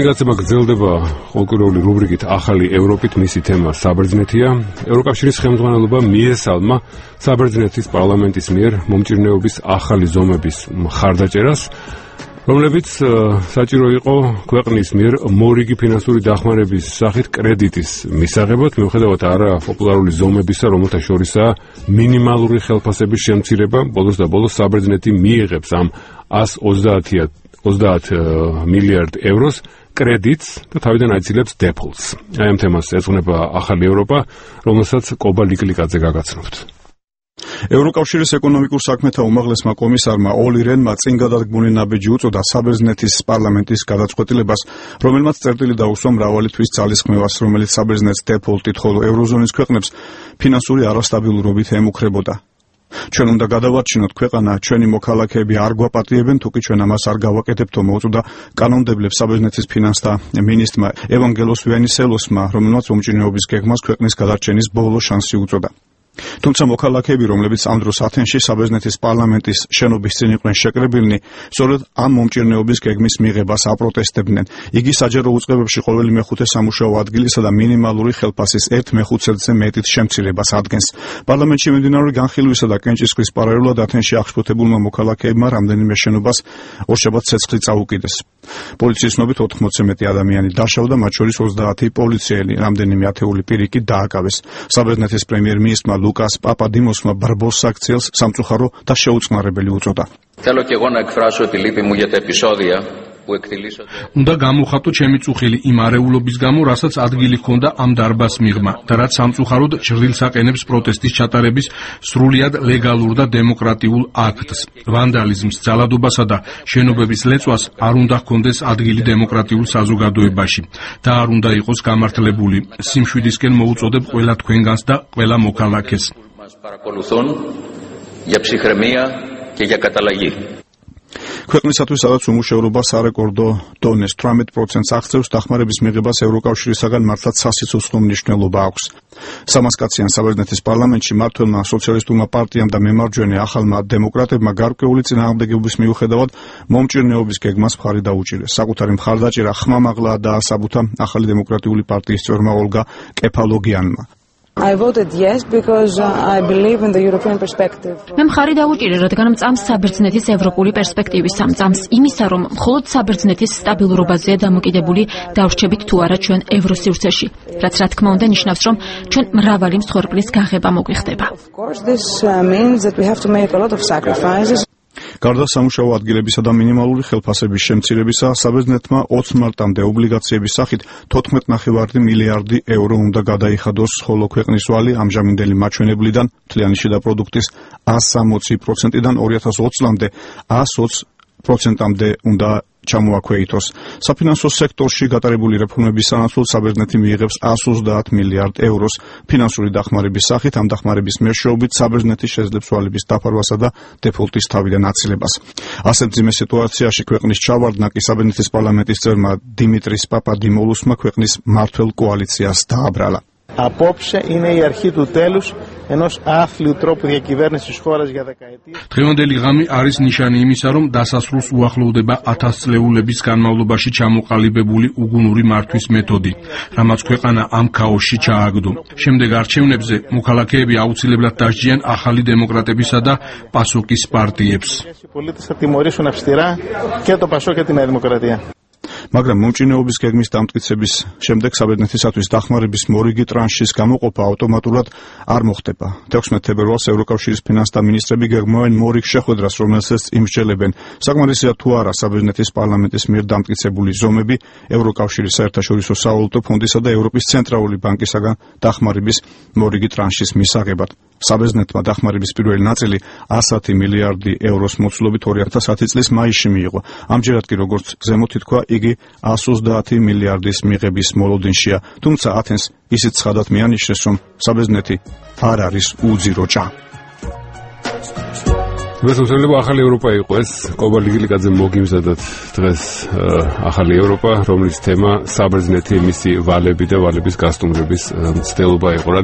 მეგაცება გრძელდება ყოველკვირეული რუბრიკით ახალი ევროპით, მისი თემა საბერძნეთია. ევროკავშირის ხელმძღვანელობა მიესალმა საბერძნეთის პარლამენტის მიერ მომჭირნეობის ახალი ზომების მხარდაჭერას, რომლებიც საჭირო იყო ქვეყნის მიერ მორიგი ფინანსური დახმარების სახით კრედიტის მისაღებად, მიუხედავად არაპოპულარული ზომებისა, რომელთა შორისაა მინიმალური ხელფასების შემცირება. ბოლოს და ბოლოს საბერძნეთი მიიღებს ამ 130 მილიარდ ევროს კრედიტს და თავიდან აიცილებს დეფოლტს. აი ამ თემას ეძღვნება ახალი ევროპა, რომელსაც კობა ლიკლიკაძე გაგაცნობთ. ევროკავშირის ეკონომიკურ საქმეთა უმაღლესმა კომისარმა ოლი რენმა წინ გადადგმული ნაბიჯი უწოდა საბერძნეთის პარლამენტის გადაწყვეტილებას, რომელმაც წერტილი დაუსვა მრავალი თვის ძალისხმევას, რომელიც საბერძნეთს დეფოლტით, ხოლო ევროზონის ქვეყნებს ფინანსური არასტაბილურობით ემუქრებოდა. ჩვენ უნდა გადავარჩინოთ ქვეყანა, ჩვენი მოქალაქეები არ გვაპატიებენ, თუკი ჩვენ ამას არ გავაკეთებთო, მოუწოდა კანონმდებლებს საბერძნეთის ფინანსთა მინისტრმა ევანგელოს ვენისელოსმა, რომელმაც მომჭირნეობის გეგმას ქვეყნის გადარჩენის ბოლო შანსი უწოდა. თუმცა მოქალაქეები, რომლებიც ამ დროს ათენში საბერძნეთის პარლამენტის შენობის წინ იყვნენ შეკრებილნი, სწორედ ამ მომჭირნეობის გეგმის მიღებას აპროტესტებდნენ. იგი საჯარო უწყებებში ყოველი მეხუთე სამუშაო ადგილისა და მინიმალური ხელფასის 1/5-ზე მეტით შემცირებას ადგენს. პარლამენტში მიმდინარე განხილვისა და კენჭისყრის პარალელურად ათენში აღშფოთებულმა მოქალაქეებმა რამდენიმე შენობას ორშაბათს ცეცხლი წაუკიდეს. პოლიციის ცნობით 80-ზე მეტი ადამიანი დაშავდა, მათ შორის 30 პოლიციელი, რამდენიმე ათეული პირი კი დააკავეს. საბერძნეთის პრემიერ-მინისტრმა ლუკას პაპადიმოსმა ბრბოს საქციელს სამწუხარო და შეუწყნარებელი უწოდა. უნდა გამოვხატო ჩემი წუხილი იმ არეულობის გამო, რასაც ადგილი ჰქონდა ამ დარბას მიღმა და რაც სამწუხაროდ ჭრილს აყენებს პროტესტის ჩატარების სრულიად ლეგალურ და დემოკრატიულ აქტს. ვანდალიზმს, ძალადობასა და შენობების ლეწვას არ უნდა ჰქონდეს ადგილი დემოკრატიულ საზოგადოებაში და არ უნდა იყოს გამართლებული. სიმშვიდისკენ მოუწოდებ ყველა თქვენგანს და ყველა მოქალაქეს. ქვეყნისათვის სადაც უმუშევრობა სარეკორდო დონეს 18%-ს აღწევს, დახმარების მიღებას ევროკავშირისაგან მართლაც სასიცოცხლო მნიშვნელობა აქვს. 300 კაციან საბერძნეთის პარლამენტში მმართველმა სოციალისტურმა პარტიამ და მემარჯვენე ახალმა დემოკრატებმა გარკვეული წინააღმდეგობის მიუხედავად მომჭირნეობის გეგმას მხარი დაუჭირეს. საკუთარი მხარდაჭერა ხმამაღლა დაასაბუთა ახალი დემოკრატიული პარტიის წევრმა ოლგა კეფალოგიანმა. I voted yes because I believe in the European perspective. მე მხარი დავუჭირე, რადგან მწამს საბერძნეთის ევროპული პერსპექტივის, მწამს იმისა, რომ მხოლოდ საბერძნეთის სტაბილურობაზეა დამოკიდებული დავრჩებით თუ არა ჩვენ ევროსივრცეში, რაც რა თქმა უნდა ნიშნავს, რომ ჩვენ მრავალი მსხვერპლის გაღება მოგვიხდება. Of course, this means that we have to make a lot of sacrifices. გარდა სამუშაო ადგილებისა და მინიმალური ხელფასების შემცირებისა, საბერძნეთმა 20 მარტამდე ობლიგაციების სახით 14.5 მილიარდი ევრო უნდა გადაიხადოს, ხოლო ქვეყნის ვალი ამჟამინდელი მაჩვენებლიდან მთლიანი შიდა პროდუქტის 160%-დან 2020 წლამდე 120%-მდე უნდა ჩამოაქვეითოს. საფინანსო სექტორში გატარებული რეფორმების სანაცვლოდ საბერძნეთი მიიღებს 130 მილიარდ ევროს ფინანსური დახმარების სახით. ამ დახმარების მეშვეობით საბერძნეთი შეძლებს ვალების დაფარვასა და დეფოლტის თავიდან აცილებას. ასეთ მძიმე სიტუაციაში ქვეყნის ჩავარდნა კი საბერძნეთის პარლამენტის წევრმა დიმიტრის პაპადიმოლუსმა ქვეყნის მმართველ კოალიციას დააბრალა. Απόψε είναι η αρχή του τέλους ενός άθλιου τρόπου διακυβέρνησης της χώρας για δεκαετίες. დღევანდელი ღამი არის ნიშანი იმისა, რომ დასასრულს უახლოვდება 1000 წლეულების განმავლობაში ჩამოყალიბებული უგუნური მართვის მეთოდი, რამაც ქვეყანა ამ ქაოსში ჩააგდო. შემდეგ არჩევნებზე მოქალაქეები აუცილებლად დასჯიან ახალი დემოკრატებისა და პასოკის პარტიებს. Οι πολίτες θα τιμωρήσουν αυστηρά και το ΠΑΣΟΚ και τη Νέα Δημοκρατία. მაგრამ მომჭირნეობის გეგმის დამტკიცების შემდეგ საბერძნეთისათვის დახმარების მორიგი ტრანშის გამოყოფა ავტომატურად არ მოხდება. 16 თებერვალს ევროკავშირის ფინანსთა მინისტრები გეგმავენ მორიგ შეხვედრას, რომელსაც იმსჯელებენ. საკმარისია თუ არა საბერძნეთის პარლამენტის მიერ დამტკიცებული ზომები ევროკავშირის საერთაშორისო სავალუტო ფონდისა და ევროპის ცენტრალური ბანკისაგან დახმარების მორიგი ტრანშის მისაღებად. საბერძნეთმა დახმარების პირველი ნაწილი 110 მილიარდი ევროს მოცულობით 2010 წლის მაისში მიიღო. ამჯერად კი როგორც ზემოთ ითქვა, იგი 130 მილიარდის მიღების მოლოდინშია, თუმცა ათენს ისიც ცხადად მიანიშნეს, რომ საბერძნეთი არ არის უძირო ჭა. მესამსვლელობა ახალი ევროპა იყო ეს, კობა ლიკლიკაძემ მოგიმზადათ დღეს ახალი ევროპა, რომლის თემა საბერძნეთი, მისი ვალები და ვალების გასტუმრების მცდელობა იყო.